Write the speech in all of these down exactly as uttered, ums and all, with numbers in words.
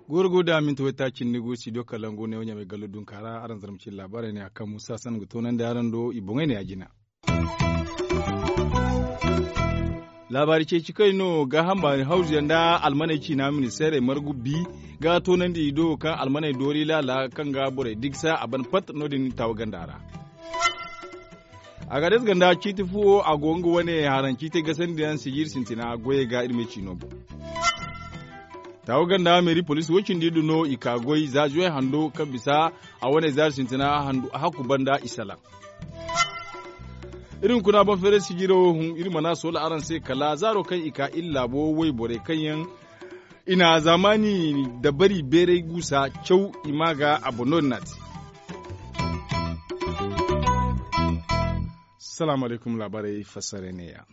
Guuru guuru da minti waytaaci nda gu studio kalangu ne wo ɲamay gallo dunka ra araŋ zarma cine laabaarey ne a kaŋ musa san ga toonandi araŋ do i boŋey ne ya jina. Laabaari ceeci kay no gaaham baani hawzuyaŋ nda almaney ciina ministeerey margu bi ga toonandi i do kaŋ almaney doori laala kaŋ ga borey digsa a ban pat no- din taawa ganda ra. Agares ganda ciiti fu wo a go nga wane haraŋ ciitey gasandiyaŋ sijir sintina goyey ga iri me ciino boŋ. Taawa ganda meeri poliisi wo cindi du no i ka goy za zuwey hando kaŋ bisa a wane zaari sintina handu a hakku banda i salaŋ. Iri hunkuna boŋ feeray sijiro hun iri mana soola araŋ se kala zaaro kaŋ i ka iri laabo wayborey kaŋ yaŋ i na zaamaani dabari beeray guusa caw i ma ga a boŋ no- din no a te. Salaamu alaykum laabaarey fassarey ne- ya.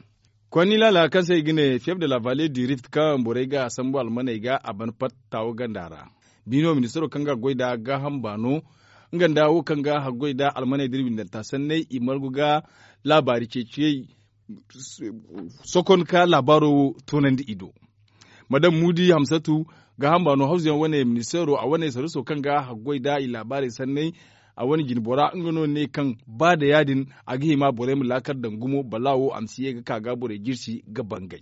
Konni laala kaŋ se i ga ne fief de la valle du rift kaŋ borey ga a sambu almaney ga a ban pat taawo ganda ra. Biino ministaro kaŋ ga goy nda gaaham baano nga nda wo kaŋ ga haggoy nda almaney da iri windanta sanney i margu ga laabaari ceeciyey sokon ka laabaaro wo toonandi i do. Madam muudi hamsatu gaaham baano hawzuyaŋ wane ministeero a wane saruso kaŋ ga haggoy nda i laabaarey sanney a wane jinbora nga no ne kaŋ ba nda ya- din a ga hima borey ma laakar daŋ gumo bala wo a ma si ye ga ka ga borey jirsi ga bangay.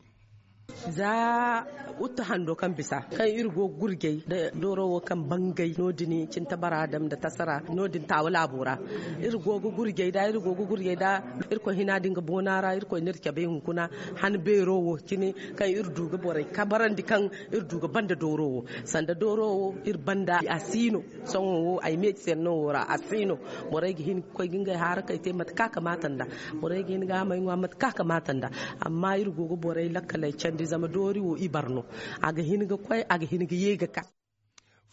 Za uttu hando kaŋ bisa kaŋ iri go ga gurjay nda dooro wo kaŋ bangay no- din cinta bara dam nda tasara no- din taawa laabo ra. Iri go ga gurjay nda iri go ga gurjay nda irkoy hina din ga boona ra irkoy n'iri cabay hunkuna han beero wo cine kaŋ iri du ga borey kabarandi kaŋ iri du ga banda dooro wo sanda dooro wo iri banda a si no. Sohõ wo ay meeti senno wo ra a si no. Borey ga hin ga koy ga ngey haarakey te mate kaŋ a kamaata nd'a. Borey ga hin ga a may ŋwa mate kaŋ a kamaata nd'a. Amma iri go ga borey lakkaley candi zama doori wo ibar no. A ga hin ga koy a ga hin ga ye ga ka.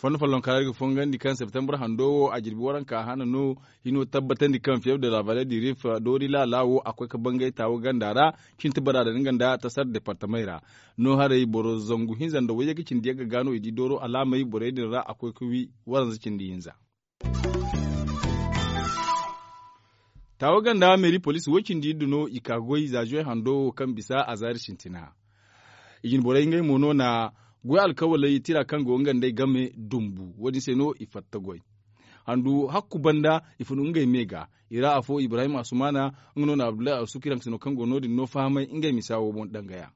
Fondo follonka ra iri ga fongandi kaŋ septembre hando wo a jirbi waranka hana no hino tabbatandi kaŋ fief de la valle du rif doori laala wo a koy ga bangay taawo ganda ra. Cinti bara da nga nda tasar departamey ra no haray boro zangu hinza nda wayye ga cindi yagga ga no i di dooro alaamey borey din ra a koy ga wi waranza cindi hinza. Taawo ganda meeri poliisi wo- cindi iddu no i ka goy za zuwey hando wo kaŋ bisa a zaari sintina. I jine borey ngey mo no na goy alkawaley tira kaŋ go nga nd'ey game dumbu wo- din se no i fatta goy. Handu hakku banda i fun ngey me ga i ra afo ibrahim asumaana nga no na abdullahi asuki raŋ sino kaŋ go no- din no fahamay ngey misa wo boŋ dangaya.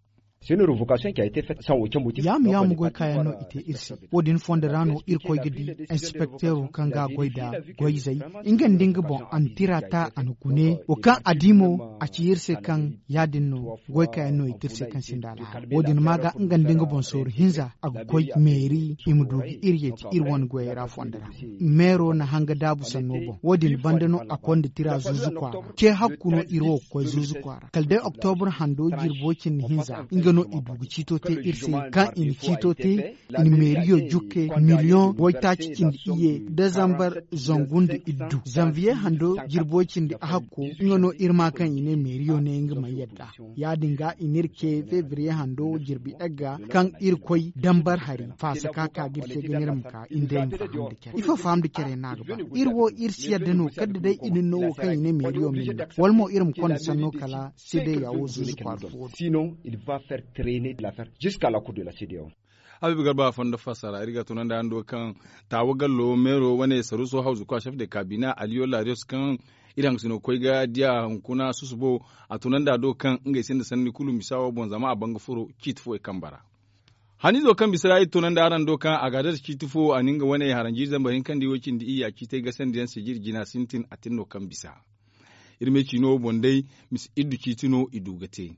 Yaamu yaamu goy kaayaŋ no i te iri se. Wo- din fondo ra no irkoy ga di inspekteero kaŋ ga a goy nda goyzey nga nda nga boŋ a na tira ta a na gune wo kaŋ a di mo a ci iri se kaŋ ya- din no goy kaayaŋ no i te iri se kaŋ sinda alhaali wo- din ma ga nga nda nga boŋ sooru hinza a ga koy meeri i ma du ga iri yeeti iri wane goyey ra fondo ra. Meero na hanga daabu sanno boŋ wo- din banda no a konda tira zuuzu kwaara ce hakku no iri wo ga koy zuuzu kwaara kala day oktobur hando jirbo cindi hinza nga no i du ga ciito te iri se kaŋ i na ciito te i na meeriyo jukke miliyoŋ waytaaci cindi iyye dezambar zangu nda iddu zanviye hando jirbo cindi hakko nga no iri ma kaŋ i ne meeriyo ne nga mana yadda. Ya- din ga i n'iri ce febriye hando jirbi egga kaŋ iri koy dambar hari faasa ka ka ga iri ce ga n'iri ma ka i nda ay ma faham da care ifo faham da care no a ga ba iri wo iri si yadda no kala da day i na ni no wo kaŋ i ne meeriyo ma ni no wala mo iri ma konda sanno kala sedeya wo zuuzu kwaara fo wo do. Habiibu garba fondo fassara iri ga tunandi hando kaŋ taawa gallo meero wane saruuso hawzu kwa chef de kabina aliyo larios kaŋ iri hangasino ga koy ga diya hunkuna susubo a tunandi a do kaŋ ngey sinda sanni kulu misa wo boŋ zama a ban ga furo ciiti fo i kamba ra. Haniizo kaŋ bisa ra iri tunandi araŋ do kaŋ a ga a date ciiti fo a na nga wane haranji zambar hinkandi wo cindi iyya ciitey gasandiyaŋ sijir jina sintin a tin no kaŋ bisa. Iri me ciino wo boŋ day misi iddu ciiti no i du ga te.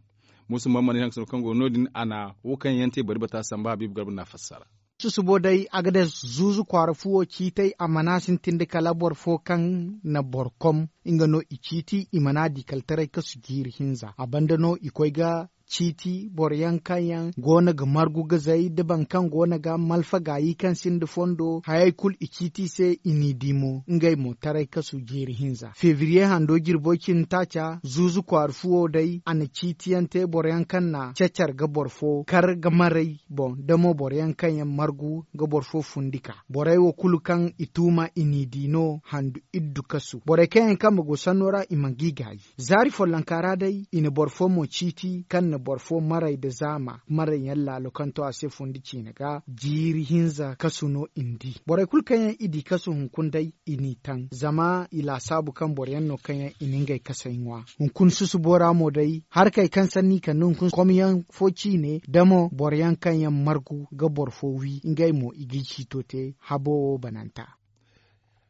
Muusa mammani hangasino kaŋ go no- din a na wo kaŋ yaŋ te bari bata samba habiibu garba n'a fassara. Susubo day a ga day zuuzu kwaara fuwo ciitey a mana sintin da kala boro fo kaŋ na boro kom nga no i ciiti i mana di kala taray kasu jiiri hinza a banda no i koy ga ciiti boro yaŋ kaŋ yaŋ go no ga margu ga zay da boro kaŋ go no ga malfa gaayi kaŋ sinda fondo hayey kulu i ciiti i se i n'i di mo ngey mo taray kasu jiiri hinza febriye hando jirbo cindi taaca zuuzu kwaara fuwo day a na ciiti yaŋ te boro yaŋ kaŋ na cacar ga boro fo kar ga maray boŋ da mo boro yaŋ kaŋ yaŋ margu ga boro fo fundi ka borey wo kulu kaŋ i tuuma i n'i di no handu iddu kasu borey kaŋ yaŋ kambe go sanno ra i mana g'i gaayi. Zaari follonka ra day i na boro fo mo ciiti kaŋ na boro fo maray nda zaama maray yaŋ laalo kaŋ to a se fundi ciine ga jiiri hinza kasu no i na di borey kulu kaŋ yaŋ i di kasu hunkuna day i n'i taŋ zama i laasaabu kaŋ boro yaŋ no kaŋ yaŋ i na ngey kasay ŋwa. Hunkuna susubo ra mo day harkey kaŋ sanni i kande hunkuna komyaŋ fo ciine da mo boro yaŋ kaŋ yaŋ margu ga boro fo wi ngey mo i g'i ciito te habo wo bananta.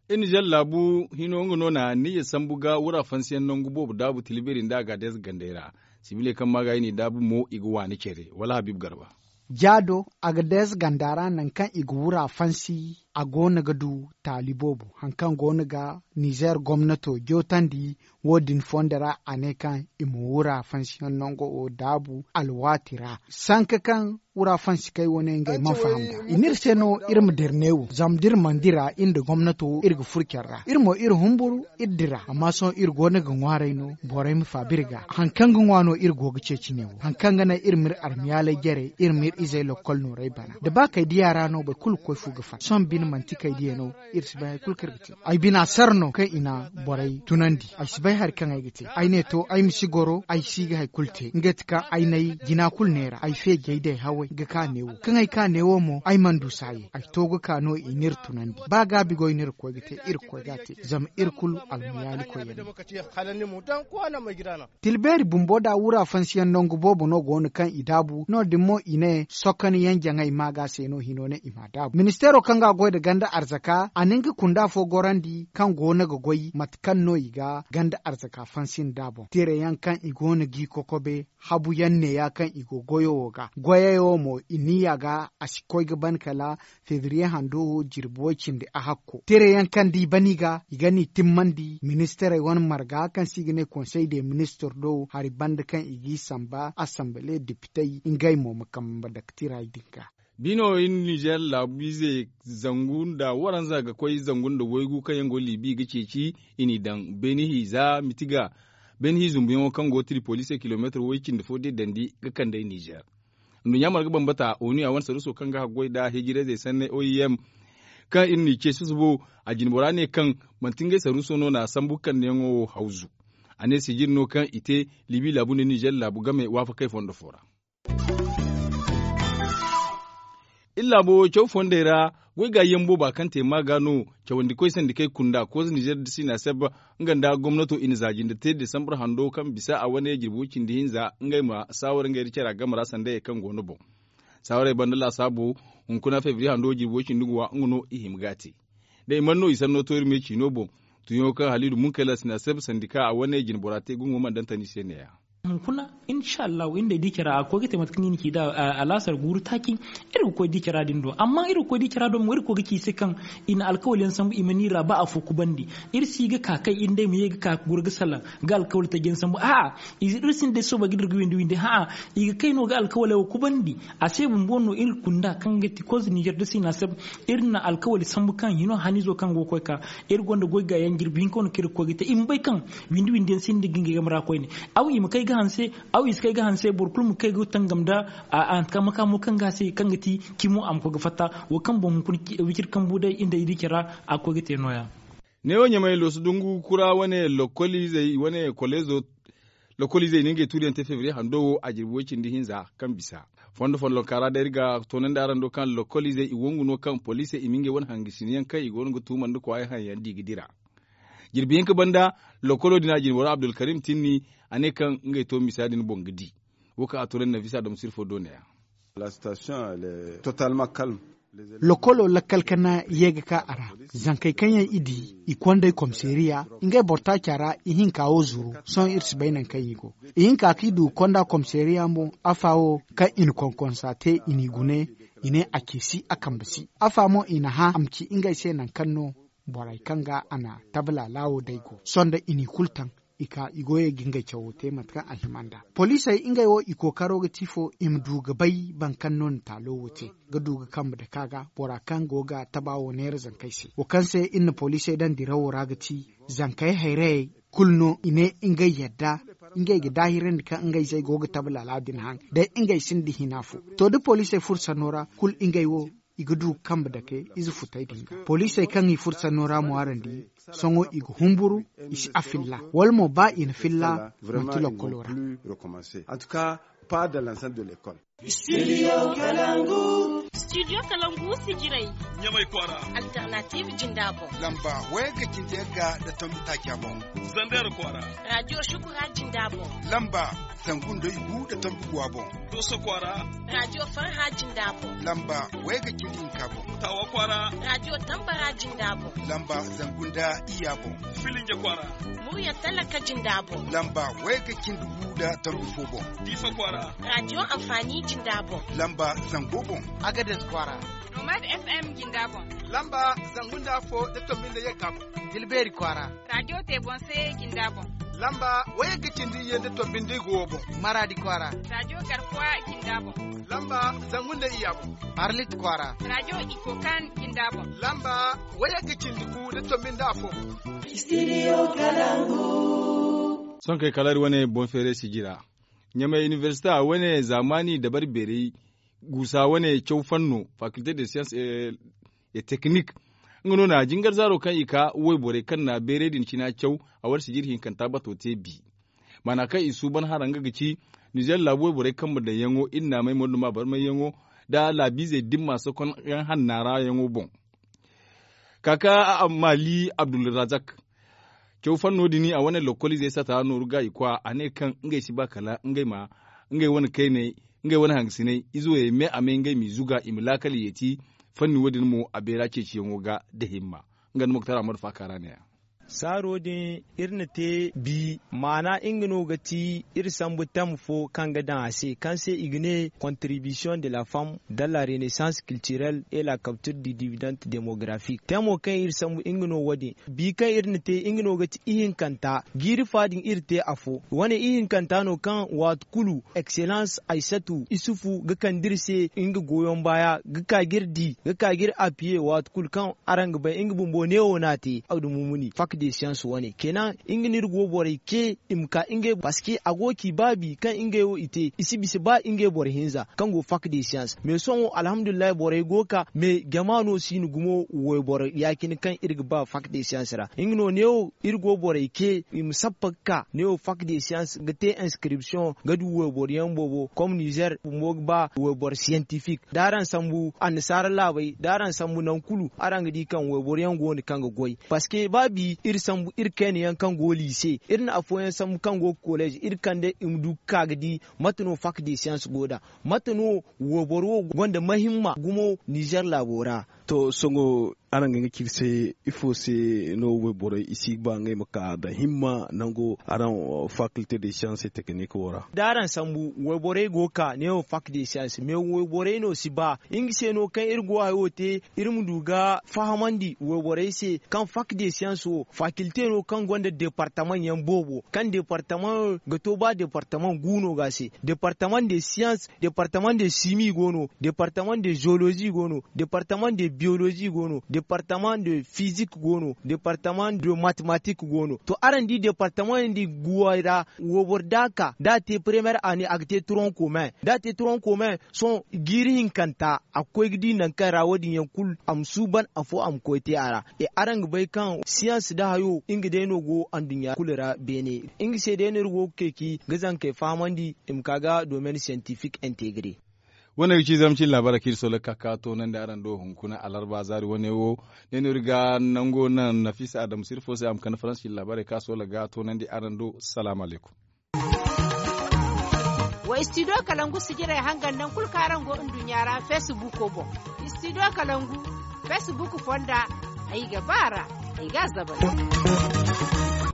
Iri nizer laabu hino nga no na niya sambu ga wura fansiyaŋ nangu boobo daabu tilbiri nda a ga deeza gandey ra. Sibile kaŋ ma ga i n'i daabu mo i ga waani care wala habiibu garba. Jaado a ga deeza ganda ra nangu kaŋ i ga wura fansi a go no ga du taali boobo hari kaŋ go no ga nizer gomnato jootandi. Wo- din fondo ra a ne kaŋ i ma wura fansiyaŋ nango wo daabu alwaati ra sanka kaŋ wura fansi kay wane ngey mana faham nd'a i n'iri se no iri ma dira neewo zama da iri mana dira iri nda gomnato iri ga furo care ra iri mo iri humburu iri dira amma sohõ iri go no ga ŋwaaray no borey ma faaba iri ga hari kaŋ ga ŋwa no iri go ga ceeci neewo hari kaŋ ga naŋ iri m'iri armiyaaley jare iri m'iri izey lokkol nooray bana da ba kay diya ra no boro kulu ga koy fu ga fatta sohõ bine manti kay diya no. Iri si bay hari kulu kaŋ iri ga te ay bina sara no kaŋ i na borey tunandi ay si bay hari kaŋ ay ga te ay ne to ay ma si goro ay si ga hari kulu te nga ti kaŋ ay n'ay jina kulu neera ay feejey day haway ga ka neewo kaŋ ay ka neewo mo ay mana du saayey ay to ga ka no i n'iri tunandi ba gaabi goy no iri ga koy ga te iri ga koy ga a te zama iri kulu almuyaali koyyaŋ no. Tilbeeri bumbo da wura fansiyaŋ nangu boobo no go no kaŋ i daabu no- din mo i ne sokoniyaŋ jaŋay maaga se no hino ne i m'a daabu ministeero kaŋ ga a goy nda ganda arzaka a na nga kunda fo gorandi kaŋ go no ga goy mate kaŋ no i ga ganda arzaka fansi nda a boŋ tirayaŋ kaŋ i go no g'i kokobe habuyaŋ neeya kaŋ i go goyo wo ga goyey wo mo i niya ga a si koy ga ban kala febriye hando wo jirbi way cindi a hakko tirayaŋ kaŋ da i ban i ga i ga n'i timmandi ministirey wane marga kaŋ se i ga ne konsey de ministir do hari banda kaŋ i g'i samba asambale depitey ngey mo ma kambe daktirey din ga. Bino iri nizer laabu ize zangu nda waranza ga koy zangu nda waygu kaŋ yaŋ go libi ga ceeci i n'i daŋ beeni hiiza miti ga beeni hiiza zumbuyaŋo kaŋ go tiripolise kilomeetir way cindi fo da i dandi ga kand'ey nizer. Nduɲɲa marga bambata onu ya wane saruuso kaŋ ga haggoy nda hijirayzey sanney oim kaŋ iri n'i ce susubo a jinbora ne kaŋ manti ngey saruuso no na sambu kandiyaŋo wo hawzu. A ne sijiri no kaŋ i te libi laabu nda nizer laabu game waafakey fondo fo ra. Iri laabo caw fondey ra goy ga yaŋ booba kaŋ te maaga no cawandikoy sandikey kunda koza nizer da sinaseb nga nda gomnato i na za jinde te desambur hando kaŋ bisa a wane jirbi way cindi hinza ngey ma saawara ngey da cara game ra sanda ye kaŋ go no boŋ. Saawarey banda laasaabo hunkuna febriye hando jirbi way cindi guwa nga no i hima ga a te. Da i mana no i sanno to iri me ciino boŋ. Tuyaŋo kaŋ haliidu munkayla sinaseb sandika a wane jinbora te gungo mana daŋ tani se neeya. Hunkuna insha allahu iri day di cara a ga koy ga te mate kaŋ i na ci nd'a alaasar guuru taaci. Iri ga koy di cara din do amma iri ga koy di cara do mo iri ga koy ga ci i se kaŋ i na alkawal yaŋ sambu i ma ni ra ba afo kubandi. Iri si ga ka kay iri day ma ye ga ka ga goro ga salaŋ ga alkawal taji yaŋ sambu a'a. Iri sinda day soobay ga dira ga windi windi a'a. I ga kay no ga alkawaley wo kubandi. A se bumbo no iri kunda kaŋ ga ti koza nizer da sinaseb. Iri na alkawali sambu kaŋ hino hanizo kaŋ go ga koy ka iri gonda goy gaayaŋ jirbi hinka wane kaŋ iri ga koy ga te i ma bay kaŋ windi windi yaŋ sinda ga ngey game ra koyne. Aw i ma kay ga hanse aw i si kay ga hanse boro kulu ma kay ga tangam nda a a makaamo kaŋ ga a se kaŋ ga ti cimo a ma koy ga fatta. Wo kaŋ boŋ hunkuna wiciri kambu day iri nda iri care ra a ga koy ga te nooya. Neewo ɲamay loosu dungu kura wane lokoliizey wane koleezo. Lokoliizey na ngey tuuriyaŋ te febriye hando wo a jirbi way cindi hinza kaŋ bisa fondo follonka ra day iri ga toonandi araŋ do kaŋ lokoliizey i wangu no kaŋ poliisey i ma ngey wane hangasiniyaŋ kaŋ i go no ga tuuma nda kwaayey haŋ yaŋ di ga dira. Jirbi hinka banda lokolo din a jinbora abdulkarim tinni a ne kaŋ ngey to misa din boŋ ga di. Wo kaŋ a to ne nafisa domsir fo do ne ya. Lokolo lakkal kana ye ga ka a ra. Zankey kaŋ yaŋ i di i konday komiseeriya ngey boro taaca ra ihinka wo zuru. Sohõ iri si bay nangu kaŋ i go ihinka kaŋ i du ga konda komiseeriya mo afa wo kaŋ i na konkonsa te i n'i gune. I ne a ce si a kambe si afa mo i na hã a ma ci ngey se nangu kaŋ no borey kaŋ ga a na tabala laawo day go sohõ da i n'i kulu taŋ. i ka i goyey ga ngey cawo te mate kaŋ a hima nd'a. Poliisey ngey wo i kookaro ga ti fo i ma du ga bay boro kaŋ no na taalo wo te ga du ga kambe dake a ga bora kaŋ go ga taba wo neera zankey se. Wo kaŋ se iri na poliisey daŋ dirawo ra ga ti zankey hayrayey kulu no i ne ngey yadda ngey ga daahirandi kaŋ ngey zey go ga tabe laala din haŋ day ngey sinda hina fo. To da poliisey furo sanno ra kulu ngey wo i ga du ga kambe dake ize futey din ga poliisey kaŋ i furo sanno ra mo araŋ di. Sohõ i ga humburu i si a filla wala mo ba i na filla manti lokkolo ra. Studio kalangu sijirey ɲamay kwaara. Alternative jinda boŋ. Lamba wayga cindi yagga nda tombi taaca boŋ. Zander kwaara. Radio shukura jinda boŋ. Lamba zangu nda igu nda tombi guwa boŋ. Dooso kwaara. Radio farha jinda boŋ. Lamba wayga cindi hinka boŋ. Tawa kwaara. Radio tambara jinda boŋ. Lamba zangu nda iyya boŋ. Filinje kwaara. Murya talaka jinda boŋ. Lamba wayga cindi gu nda tombi fo boŋ. Diifa kwaara. Radio amfani jinda boŋ. Lamba zango boŋ. Agades kwaara. Nomad fm jinda boŋ. Lamba zangu nda afo nda tombi nda yagga boŋ. Dilbeeri kwaara. Radio tebonse jinda boŋ. Lamba wayagga cindi iyye nda tombi nda igu wo boŋ. Maraadi kwaara. Radio garkuwa jinda boŋ. Lamba zangu nda iyya boŋ. Arlit kwaara. Radio ikokan jinda boŋ. Lamba wayagga cindi gu nda tombi nda afo boŋ. Studio kalangu. Sohõ kay kala iri wane boŋ feeray sijira ɲamay inibersite a wane zaamaani dabari beeray guusa wane caw fanno fakilte de science et teknik. Nga no na jingar zaaro kaŋ i ka wayborey kaŋ na beeray din cina caw a war sijir hinkanta bato te bi. Maana kaŋ i suuban hara nga ga ci nizer laabu wayborey kambe daŋyaŋo iri naamay morduma barmayyaŋo nda laabiizey dimma sokonyaŋ hanna ra yaŋo boŋ. Kaka maali abdulrazak caw fanno din a wane lokkoliizey sata nooru ga i kwa a ne kaŋ ngey si ba kala ngey ma ngey wane kayney ngey wane hangasiney izo ye me a may ngey m'i zuga i ma laakal yeeti. Fanni wo- din mo a beera ceeciyaŋo ga nda himma. Nga nda muktar ahmadu faaka ra ne- ya. Saaro din iri na te bi maana nga no ga ti iri sambu tam fo kaŋ ga daŋ a se kaŋ se i ga ne contribution de la femme dans la renaissance culturelle et la capture du dividende démographique temo kaŋ iri sambu nga no wo- din. Bi kaŋ iri na te nga no ga ti ihinkanta jiiri fa din iri te afo wane ihinkanta no kaŋ waati kulu excellence aysatu isufu ga kande iri se nga goyoŋ baaya ga ka ga iri di ga ka ga iri apiye waati kulu kaŋ araŋ ga bay nga bumbo neewo no a te abdu mumuni fak de science wane kenan nga no iri go borey ke i ma ka ngey parce que a go ga ci baabi kaŋ ngey wo i te i si bisa ba ngey boro hinza kaŋ go fak de science mais sohõ alhamdulillahi borey go ga ka mais jama no si no gumo wayboro ya- cine kaŋ iri ga ba fak de science ra nga no neewo iri go borey ke i ma sappa ga ka neewo fak de science ga te inscription ga du wayboro yaŋ boobo comme nizer bumbo ga ba wayboro scientifique da araŋ sambu annasaara laabey da araŋ sambu nangu kulu araŋ ga di kaŋ wayboro yaŋ go no kaŋ ga goy parce que ba bi iri sambu iri kayna yaŋ kaŋ go liise iri na afooyaŋ sambu kaŋ go ga college iri kande i ma du ga ka ga di mate no fak de science go nd'a mate no wayboro wo gonda mahimma gumo nizer laabo ra. To sohõ araŋ ga nga ci iri se ifo se no wayborey i si ga ba ngey ma ka nda himma nango araŋ faculté de science et technique wo ra? Da araŋ sambu wayborey go ga ka neewo fac de science mais wayborey no si ba nga se no kaŋ iri go hayo te iri ma du ga fahamandi wayborey se kaŋ fac de science wo faculté no kaŋ gonda departement yaŋ boobo kaŋ departement ga to ba departement gu no ga se departement de science departement de simi go no departement de geologie go no departement de biologie go no departement de physique go no departement de mathématique go no to araŋ di departement din guway ra wobor da ka da te première année a ga te tronc commun da te tronc commun sohõ jiiri hinkanta a ga koy ga di nangu kaŋ ra wo- din yaŋ kulu a ma suuban afo a ma koy te a ra. Araŋ ga bay kaŋ science nda hayo nga day no go anduɲɲa kulu ra beene nga se day no iri go ga ceeci ga zankey fahamandi i ma ka ga domaine scientifique integre. Wane ga ci zama cin laabaarey kaŋ iri soola ga ka ga toonandi araŋ do hunkuna alarba zaari wane wo ne no iri ga nango naŋ nafisa adamu sirfo se a ma kande faransa cin laabaarey kaŋ a soola ga toonandi araŋ do. Salaamu alaykum. Wa studio kalangu sijirey hangan nangu kulu kaŋ araŋ go nduɲɲa ra facebook boŋ. Studio kalangu facebook fonda ay ga ba ra ay ga a zabari.